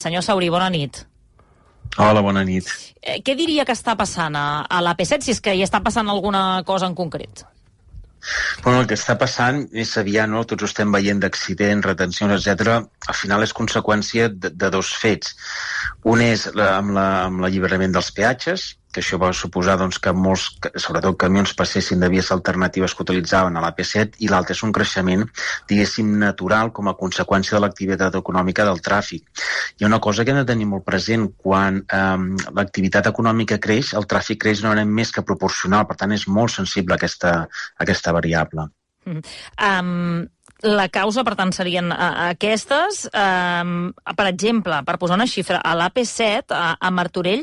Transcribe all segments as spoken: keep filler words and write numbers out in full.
Senyor Sauri, bona nit. Hola, bona nit. Eh, què diria que està passant a, a l'A P set, si és que hi està passant alguna cosa en concret? Bueno, el que està passant és aviat, no? Tots ho estem veient d'accidents, retencions, etcètera. Al final és conseqüència de, de dos fets. Un és la, amb la, amb l'alliberament dels peatges, que això va suposar doncs, que molts, sobretot camions, passessin de vies alternatives que utilitzaven a l'A P set, i l'altre és un creixement, diguéssim, natural com a conseqüència de l'activitat econòmica del tràfic. Hi ha una cosa que hem de tenir molt present: quan eh, l'activitat econòmica creix, el tràfic creix no més que proporcional, per tant és molt sensible a aquesta, a aquesta variable. Mm. Um, la causa, per tant, serien uh, aquestes. Um, per exemple, per posar una xifra, a l'A P set, a, a Martorell,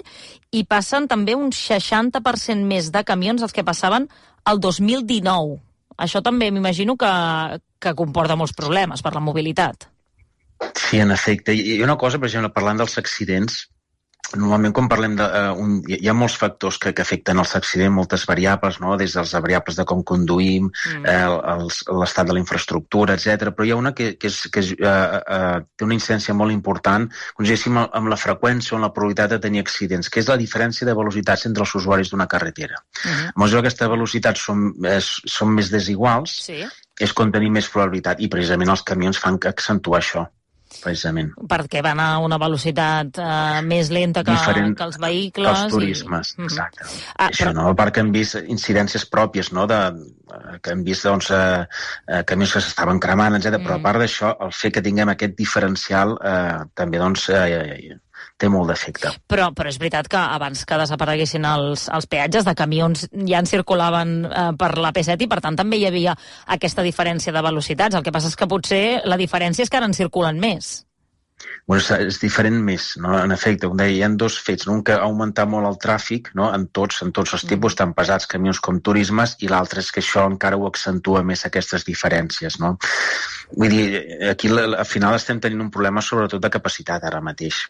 hi passen també un seixanta per cent més de camions dels que passaven el dos mil dinou. Això també m'imagino que, que comporta molts problemes per la mobilitat. Sí, en efecte. Hi ha una cosa, per exemple, parlant dels accidents, normalment quan parlem de... Uh, un, hi ha molts factors que, que afecten els accidents, moltes variables, no? Des dels variables de com conduïm, mm. eh, l'estat de la infraestructura, etcètera. Però hi ha una que, que, és, que és, uh, uh, té una incidència molt important, com diguéssim, amb la freqüència o amb la probabilitat de tenir accidents, que és la diferència de velocitats entre els usuaris d'una carretera. Mm-hmm. A mesura que aquestes velocitats són, és, són més desiguals, sí. És quan tenim més probabilitat, i precisament els camions fan que accentuar això. Precisament. Perquè van a una velocitat uh, més lenta que, diferent que els vehicles. Que els turismes, i... exacte. Mm-hmm. Ah, Això, però... no? A part que hem vist incidències pròpies, no? De, que hem vist doncs, eh, eh, camions que s'estaven cremant, etcètera. Mm. Però a part d'això, el fet que tinguem aquest diferencial eh, també doncs, eh, té molt d'efecte. Però, però és veritat que abans que desapareguessin els, els peatges de camions ja en circulaven eh, per l'A P set, i per tant també hi havia aquesta diferència de velocitats. El que passa és que potser la diferència és que ara en circulen més. Bueno, és diferent més, no? En efecte, com deia, hi ha dos fets, no? Un que ha augmentat molt el tràfic, no? en tots en tots els tipus, mm. tant pesats, camions com turismes, i l'altre és que això encara ho accentua més, aquestes diferències, no? Vull dir, aquí al final estem tenint un problema sobretot de capacitat ara mateix.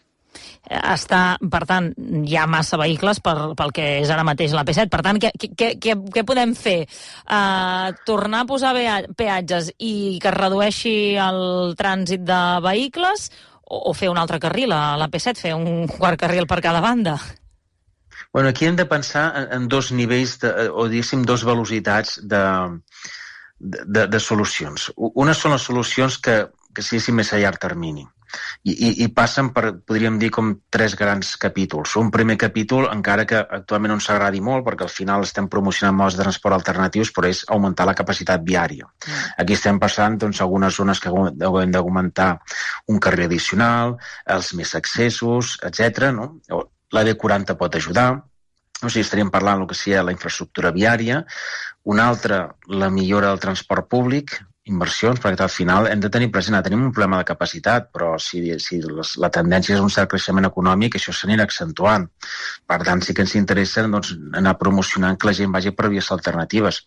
Està, per tant, hi ha massa vehicles per, pel que és ara mateix l'A P set. Per tant, què, què, què, què podem fer? Uh, tornar a posar peatges i que es redueixi el trànsit de vehicles, o, o fer un altre carril a l'A P set, fer un quart carril per cada banda? Bueno, aquí hem de pensar en, en dos nivells, de, o diguéssim, dos velocitats de, de, de solucions. Una són les solucions que, que siguessin més a llarg termini. I, i, i passen per, podríem dir, com tres grans capítols. Un primer capítol, encara que actualment no ens agradi molt, perquè al final estem promocionant modes de transport alternatius, però és augmentar la capacitat viària. Mm. Aquí estem passant doncs, algunes zones que haurem d'augmentar un carril addicional, els més accessos, etcètera. No? La B quaranta pot ajudar. O sigui, estaríem parlant del que sigui la infraestructura viària. Una altra, la millora del transport públic, inversions, perquè al final hem de tenir present, tenim un problema de capacitat, però si, si les, la tendència és un cert creixement econòmic, això s'anirà accentuant. Per tant, sí que ens interessa doncs, anar promocionant que la gent vagi per vies alternatives.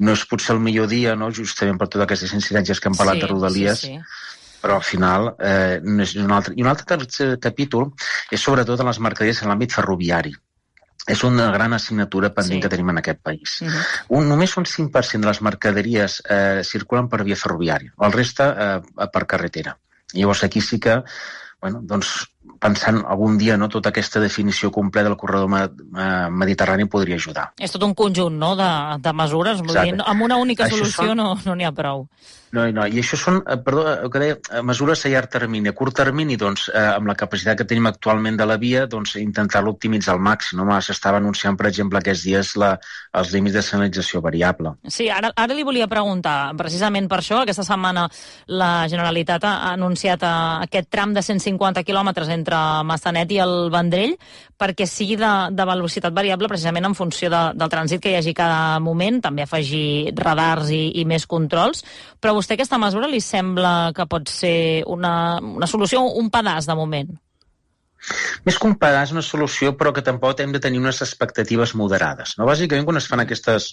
No és potser el millor dia, no? Justament per totes aquestes incidències que hem parlat sí, de Rodalies, sí, sí. Però al final eh, és un altre. I un altre tercer capítol és sobretot en les mercaderies en l'àmbit ferroviari. És una gran assignatura pendent sí. que tenim en aquest país. Uh-huh. Un, només un cinc per cent de les mercaderies eh, circulen per via ferroviària, el reste eh, per carretera. Llavors aquí sí que, bueno, doncs, pensant algun dia, no, tota aquesta definició completa del corredor mediterrani podria ajudar. És tot un conjunt, no?, de, de mesures. Vull dir, amb una única això solució són... no n'hi no ha prou. No, no, i això són, perdó, el que deia, mesures a llarg termini. A curt termini, doncs, eh, amb la capacitat que tenim actualment de la via, doncs, intentar-lo optimitzar al màxim. No? S'estava anunciant, per exemple, aquests dies la, els límits de senyalització variable. Sí, ara, ara li volia preguntar, precisament per això, aquesta setmana la Generalitat ha anunciat aquest tram de cent cinquanta quilòmetres entre Massanet i el Vendrell, perquè sigui de, de velocitat variable, precisament en funció de, del trànsit que hi hagi cada moment, també afegir radars i, i més controls. Però vostè aquesta mesura li sembla que pot ser una, una solució, un pedaç de moment? Més que un pedaç, una solució, però que tampoc hem de tenir unes expectatives moderades. No? Bàsicament, quan es fan aquestes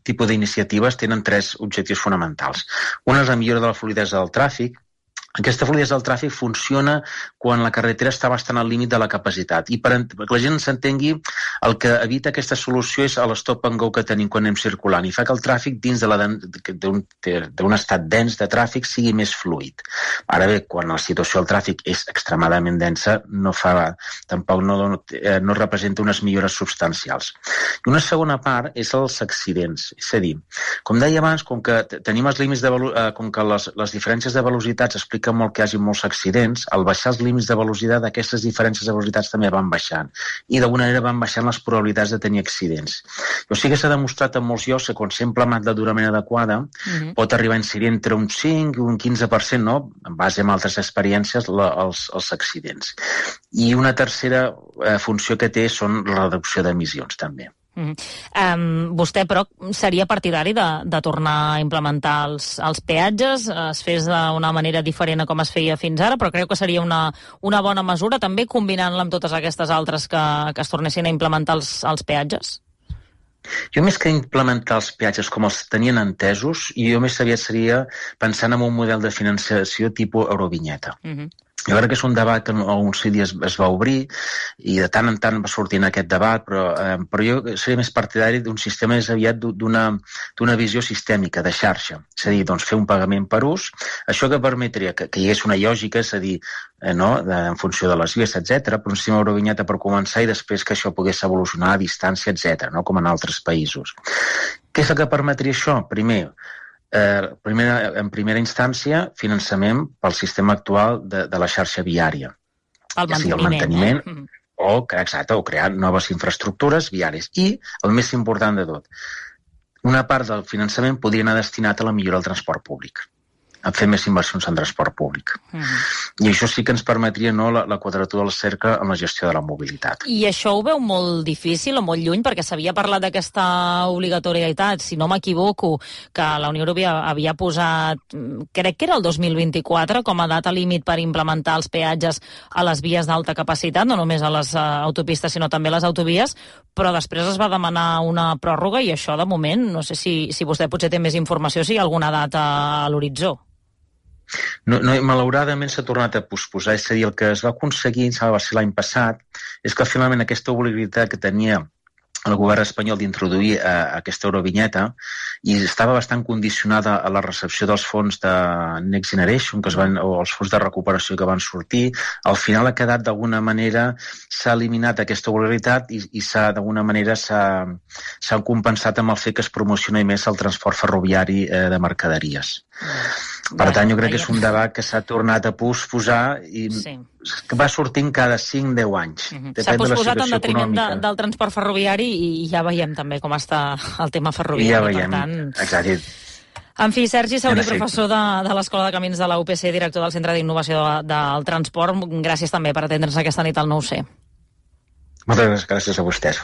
tipus d'iniciatives, tenen tres objectius fonamentals. Un és la millora de la fluïdesa del tràfic, Aquesta fluïdesa del tràfic funciona quan la carretera està bastant al límit de la capacitat. I per, per que la gent s'entengui, el que evita aquesta solució és l'stop and go que tenim quan anem circulant i fa que el tràfic dins d'un estat dens de tràfic sigui més fluid. Ara bé, quan la situació del tràfic és extremadament densa, no fa, tampoc no, no representa unes millores substancials. I una segona part és els accidents. És a dir, com deia abans, com que tenim els límits de velo- com que les, les diferències de velocitats expliquen molt que hi hagi molts accidents, al baixar els límits de velocitat, aquestes diferències de velocitats també van baixant. I d'alguna manera van baixant les probabilitats de tenir accidents. O sigui que s'ha demostrat en molts llocs que quan s'ha implementat d'una manera adequada uh-huh. pot arribar a incidir entre un cinc i un quinze per cent, no? En base a altres experiències, la, els, els accidents. I una tercera eh, funció que té són la reducció d'emissions, també. Mm. Um, vostè, però, seria partidari de, de tornar a implementar els, els peatges, es fes d'una manera diferent a com es feia fins ara, però creu que seria una, una bona mesura, també combinant-la amb totes aquestes altres que, que es tornessin a implementar els, els peatges? Jo més que implementar els peatges com els tenien entesos, jo més aviat seria pensant en un model de financiació tipus Eurovinyeta. Uh-huh. Jo crec que és un debat que alguns dies es va obrir i de tant en tant va sortir en aquest debat, però, eh, però jo seria més partidari d'un sistema més aviat d'una, d'una visió sistèmica, de xarxa. És a dir, doncs, fer un pagament per ús, això que permetria que, que hi hagués una lògica, és a dir, eh, no, de, en funció de les vies, etcètera, però un sistema Eurovinyeta per començar i després que això pogués evolucionar a distància, etcètera, no, com en altres països. Què és el que permetria això? Primer, Eh, primera, en primera instància, finançament pel sistema actual de, de la xarxa viària. El ja sigui el manteniment eh? o, exacte, o crear noves infraestructures viàries. I, el més important de tot, una part del finançament podria anar destinat a la millora del transport públic, a fer més inversions en transport públic. Mm. I això sí que ens permetria, no, la, la quadratura del cercle en la gestió de la mobilitat. I això ho veu molt difícil o molt lluny? Perquè s'havia parlat d'aquesta obligatorietat, si no m'equivoco, que la Unió Europea havia posat, crec que era el dos mil vint-i-quatre, com a data límit per implementar els peatges a les vies d'alta capacitat, no només a les uh, autopistes, sinó també a les autovies, però després es va demanar una pròrroga i això, de moment, no sé si, si vostè potser té més informació, si hi ha alguna data a l'horitzó. No, no, malauradament s'ha tornat a posposar, és a dir, el que es va aconseguir, va ser l'any passat, és que finalment aquesta obligatorietat que tenia el govern espanyol d'introduir eh, aquesta Eurovinyeta i estava bastant condicionada a la recepció dels fons de Next Generation que es van, o els fons de recuperació que van sortir. Al final ha quedat d'alguna manera, s'ha eliminat aquesta obligatorietat i, i s'ha d'alguna manera s'ha compensat amb el fet que es promocioni més el transport ferroviari eh, de mercaderies. Per tant, jo crec que és un debat que s'ha tornat a posposar i sí. que va sortint cada cinc a deu anys. Uh-huh. S'ha posposat en detriment de, del transport ferroviari i ja veiem també com està el tema ferroviari. I ja veiem, per tant... exacte. En fi, Sergi Saurí, professor de, de l'Escola de Camins de la U P C, director del Centre d'Innovació de, del Transport, gràcies també per atendre'ns aquesta nit al nou C. Moltes gràcies a vostès.